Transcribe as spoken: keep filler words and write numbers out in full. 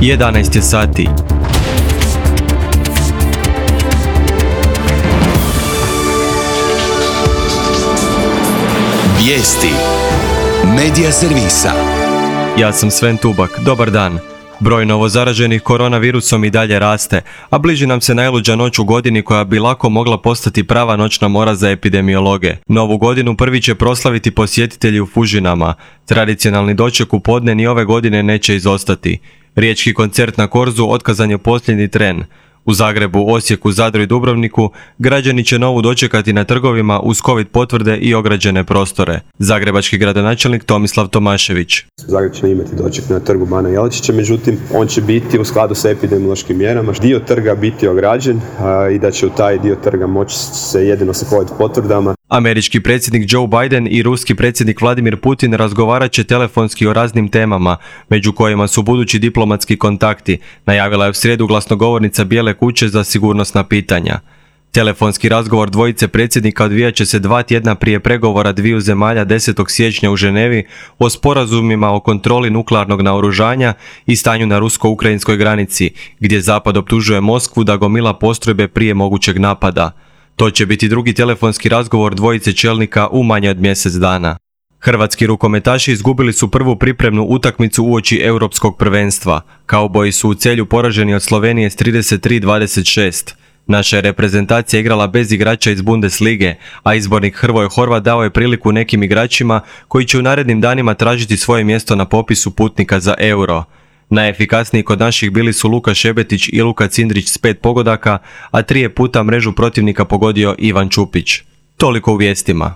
jedanaest je sati. Vijesti Medija servisa. Ja sam Sven Tubak, dobar dan. Broj novozaraženih koronavirusom i dalje raste, a bliži nam se najluđa noć u godini koja bi lako mogla postati prava noćna mora za epidemiologe. Novu godinu prvi će proslaviti posjetitelji u Fužinama. Tradicionalni doček u podne ni ove godine neće izostati. Riječki koncert na Korzu otkazan je posljednji tren. U Zagrebu, Osijeku, Zadru i Dubrovniku građani će novu dočekati na trgovima uz covid potvrde i ograđene prostore. Zagrebački gradonačelnik Tomislav Tomašević. Zagreb će imati doček na trgu Bana Jelačića, međutim on će biti u skladu sa epidemiološkim mjerama. Dio trga biti ograđen a, i da će u taj dio trga moći se jedino sa covid potvrdama. Američki predsjednik Joe Biden i ruski predsjednik Vladimir Putin razgovarat će telefonski o raznim temama, među kojima su budući diplomatski kontakti, najavila je u srijedu glasnogovornica Bijele kuće za sigurnosna pitanja. Telefonski razgovor dvojice predsjednika odvijat će se dva tjedna prije pregovora dviju zemalja desetog siječnja u Ženevi o sporazumima o kontroli nuklearnog naoružanja i stanju na rusko-ukrajinskoj granici, gdje Zapad optužuje Moskvu da gomila postrojbe prije mogućeg napada. To će biti drugi telefonski razgovor dvojice čelnika u manje od mjesec dana. Hrvatski rukometaši izgubili su prvu pripremnu utakmicu uoči europskog prvenstva. Kauboji su u Celju poraženi od Slovenije s trideset tri dvadeset šest. Naša je reprezentacija igrala bez igrača iz Bundeslige, a izbornik Hrvoje Horvat dao je priliku nekim igračima koji će u narednim danima tražiti svoje mjesto na popisu putnika za Euro. Najefikasniji kod naših bili su Luka Šebetić i Luka Cindrić s pet pogodaka, a tri je puta mrežu protivnika pogodio Ivan Čupić. Toliko u vijestima.